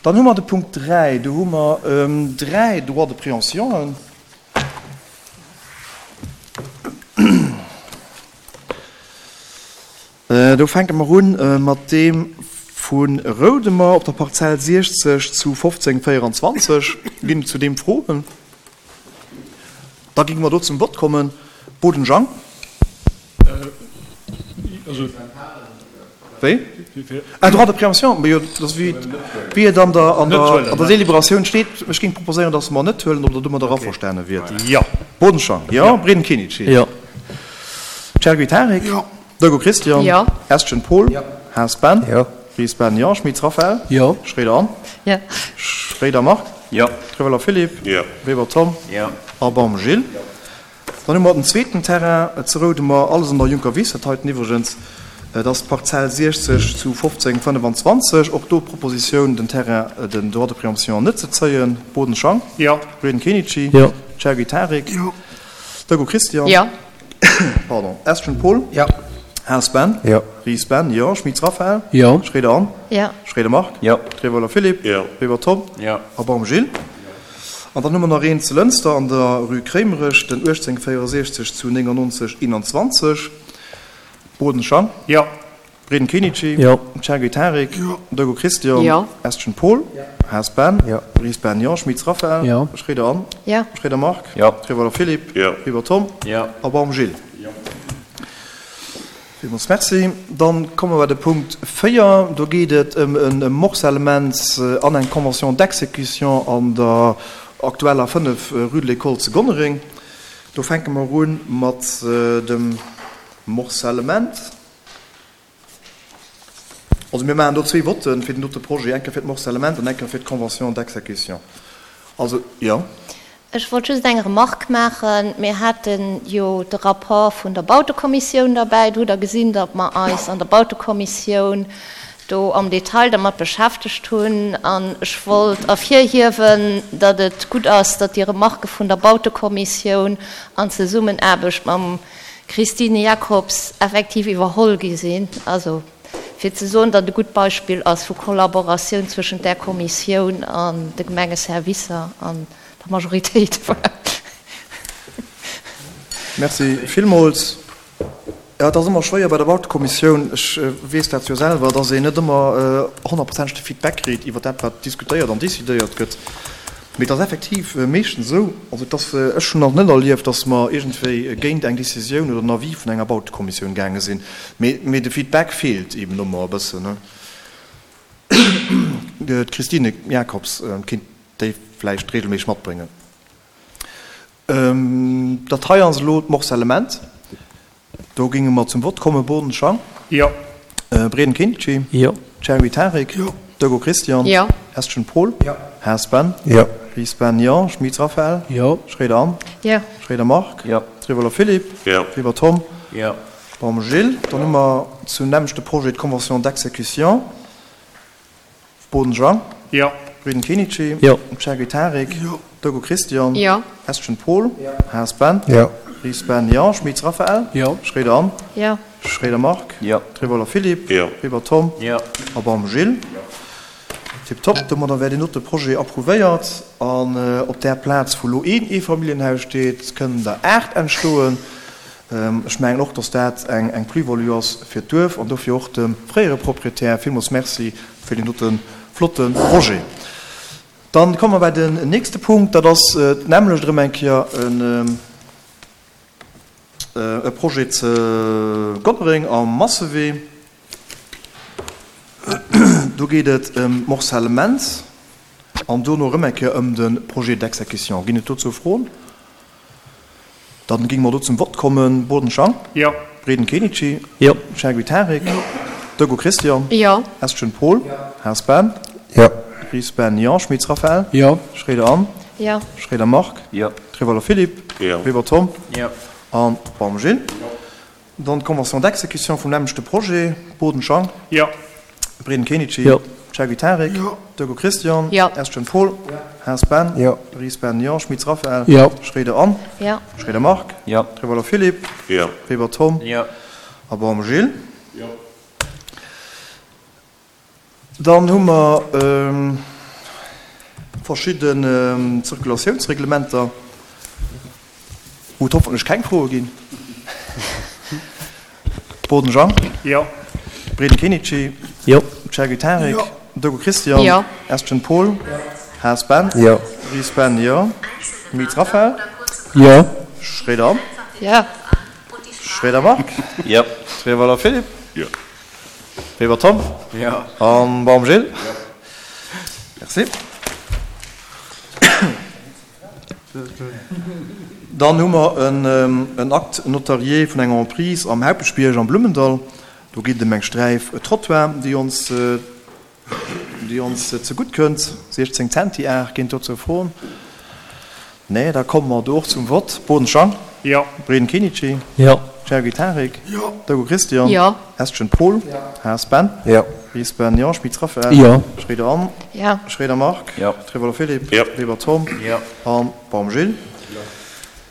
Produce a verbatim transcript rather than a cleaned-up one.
Dann hu mer de Punkt dräi. Do hu mer dräi Droits de préemptionen. Do fänke mer un mat deem vu Roudemer op der Parzell siechzeg zu fofzéng véieranzwanzeg. Ginn et zu deem Froen? Da géinge mer do zum Vott kommen. Boden Jang. Wéi? Ah, Droit de préemption, ma jo, dat ass wéi, wéi et an der, an der, an der Deliberatioun steet. Ech géing proposéieren, dass mer net huelen, ob Der domadder averstane wiert. Jo. Boden Jang, jo. Breden Kenichi. Jo. Chergui Tarik. Jo. Deugo Christian. Jo. Estgen Paul. Jo. Haas Ben. Jo. Ries Ben, jo. Schmitz Raphaël. Jo. Schréider Anne. Jo. Schréider Marc. Jo. Treweller Philippe. Jo. Weber Tom. Jo. A Baum Gilles. Jo. Dann hu mer den zweeten Terrain zu Roudemer, alles an der Juncker Wiss, dat heiten iwwregens, dat ass d'Parzell siechzeg zu fofzéng fënnefanzwanzeg. Och do d'Propositioun, den Terrain, den Droit de préemption net ze zéien. Boden Jang. Jo. Breden Kenichi. Jo. Chergui Tarik. Jo. Deugo Christian. Jo. Pardon. Estgen Paul. Jo. Haas Ben. Jo. Ries Ben, jo. Schmitz Raphaël. Jo. Schréider Anne. Jo. Schréider Marc. Jo. Treweller Philippe. Jo. Weber Tom. Jo. A Baum Gilles. An dann hu mer nach een zu Lënster an der Rue Kréimerech, den uechtzéng véierundsechzeg zu néngannonzeg eenanzwanzeg. Boden Jang. Jo. Breden Kenichi. Jo. Chergui Tarik. Jo. Deugo Christian. Jo. Estgen Paul. Jo. Haas Ben. Jo. Ries Ben, jo. Schmitz Raphaël. Jo. Schréider Anne. Jo. Schréider Marc. Jo. Treweller Philippe. Jo. Weber Tom. Jo. A Baum Gilles. Jo. Villmools Merci. Dann komme mer bei de Punkt véier. Do geet et ëm e Morcellement an eng Convention d'exécution an der aktueller fënnef Rue de l'École zu Gonnereng. Do fänke mer un mat dem Morcellement. Also mir maachen do zwee Votten fir den dote Projet, eng Kéier fir d'Morcellement an eng Kéier fir d'Convention d'exécution. Also, jo. Ech wollt just eng Remarque maachen. Mir hate jo de Rapport vun der Bautekommissioun derbäi. Do hutt Der gesinn, datt mer eis an der Bautekommissioun do am Detail dermat beschäftegt hunn. An ech wollt ervirhiewen, datt et gutt ass, datt déi Remarquë vun der Bautekommissioun an Zesummenaarbecht mam Christine Jacobs effektiv iwwerholl gi sinn. Also fir ze soen, datt e gutt Beispill ass vu Kollaboratioun zwëschent där Kommissioun an de Gemengeservicer an der Majoritéit. Voilà. Merci villmools. Jo, et ass ëmmer schwéier bei der Bautekommissioun, ech weess dat jo selwer, dass een net ëmmer honnertprozenteg de Feedback kritt iwwer dat, wat diskutéiert an decidéiert gëtt. Mee et ass effektiv meeschtens esou, also et ass, ech hunn nach net erlieft, dass mer iergendwéi géint eng Décisioun oder en Avis vun enger Bautekommissioun gaange sinn. Mee, mee de Feedback feelt eeben ëmmer e bëssen. D'Christine Jacobs kéint déi vläicht regelméisseg matbréngen. Dat hei ass elo d'Morcellement. Do géinge mer zum Vott kommen. Boden Jang. Jo. Breden Kinci. Jo. Chergui Tarik. Jo. Deugo Christian. Jo. Estgen Paul. Jo. Haas Ben. Jo. Ries Ben, jo. Schmitz Raphaël. Jo. Schréider Anne. Jo. Schréider Marc. Jo. Treweller Philippe. Jo. Weber Tom. Jo. Baum Gilles. Dann hu mer zum nämmlechte Projet d'Convention d'exécution. Boden Jang. Jo. Breden Kenichi. Jo. Chergui Tarik. Jo. Deugo Christian. Jo. Estgen Paul. Jo. Haas Ben. Jo. Ries Ben, jo. Schmitz Raphaël. Jo. Schréider Anne. Jo. Schréider Marc. Jo. Treweller Philippe. Jo. Weber Tom. Jo. A Baum Gilles. Jo. Tiptop, domadder wär deen dote Projet approuvéiert. An op där Plaz, wou elo een Eefamilljenhaus steet, kënnen der aacht entstoen. Ech mengen och, dass dat eng Plus-value ass fir d'Duerf an dofir och dem fréiere Proprietär villmools Merci fir deen dote flotte Projet. Dann komme mer bei den nächste Punkt, dat ass d'nämmlecht erëm eng Kéier e Projet ze Gonnereng am Massewee. Do geet et ëm d'Morcellement an dono erëm eng Kéier ëm de Projet d'exécution. Ginn et dozou Froen? Dann géinge mer do zum Vott kommen. Boden Jang. Jo. Breden Kenichi. Jo. Chergui Tarik. Jo. Deugo Christian. Jo. Estgen Paul. Jo. Haas Ben. Jo. Ries Ben, jo. Schmitz Raphaël. Jo. Schréider Anne. Jo. Schréider Marc. Jo. Treweller Philippe. Jo. Weber Tom. Jo. An Baum Gilles. Jo. Dann d'Convention d'exécution vum nämmlechte Projet. Boden Jang. Jo. Breden Kenichi. Jo. Chergui Tarik. Jo. Deugo Christian. Jo. Estgen Paul. Jo. Haas Ben. Jo. Ries Ben, jo. Schmitz Raphaël. Jo. Schréider Anne. Jo. Schréider Marc. Jo. Treweller Philippe. Jo. Weber Tom. Jo. A Baum Gilles. Jo. Dann hu mer verschidden Zirkulatiounsreglementer, wou et hoffentlech keng Froe ginn. Boden Jean. Jo. Breden Kenichi. Jo. Chergui Tarik. Jo. Dogo Christian. Jo. Estgen Paul. Jo. Haas Ben. Jo. Ries Ben, jo. Miltz Raphaël. Jo. Schroeder Anne. Jo. Schroeder Marc. Jo. Trewelder Philippe. Jo. Weber Tom. Jo. An Baum Gilles. Jo. Merci. Dann hu mer en Acte notarié vun enger Emprise am Haupeschbierg am Blummendall. Do geet et ëm eng Sträif Trottoir, déi ons, déi ons zegutt kënnt. siechzéng Zentiar. Ginn dozou Froen? Nee, da komme mer do och zum Vott. Boden Jean. Jo. Breden Kenichi. Jo. Chergui Tarik. Jo. Dogo Christian. Jo. Estgen Paul. Jo. Haas Ben. Jo. Ries Ben, jo. Schmitz Raphaël. Jo. Schroeder Anne. Jo. Schroeder Marc. Jo. Trewelder Philippe. Jo. Weber Tom. Jo. An Baum Gilles.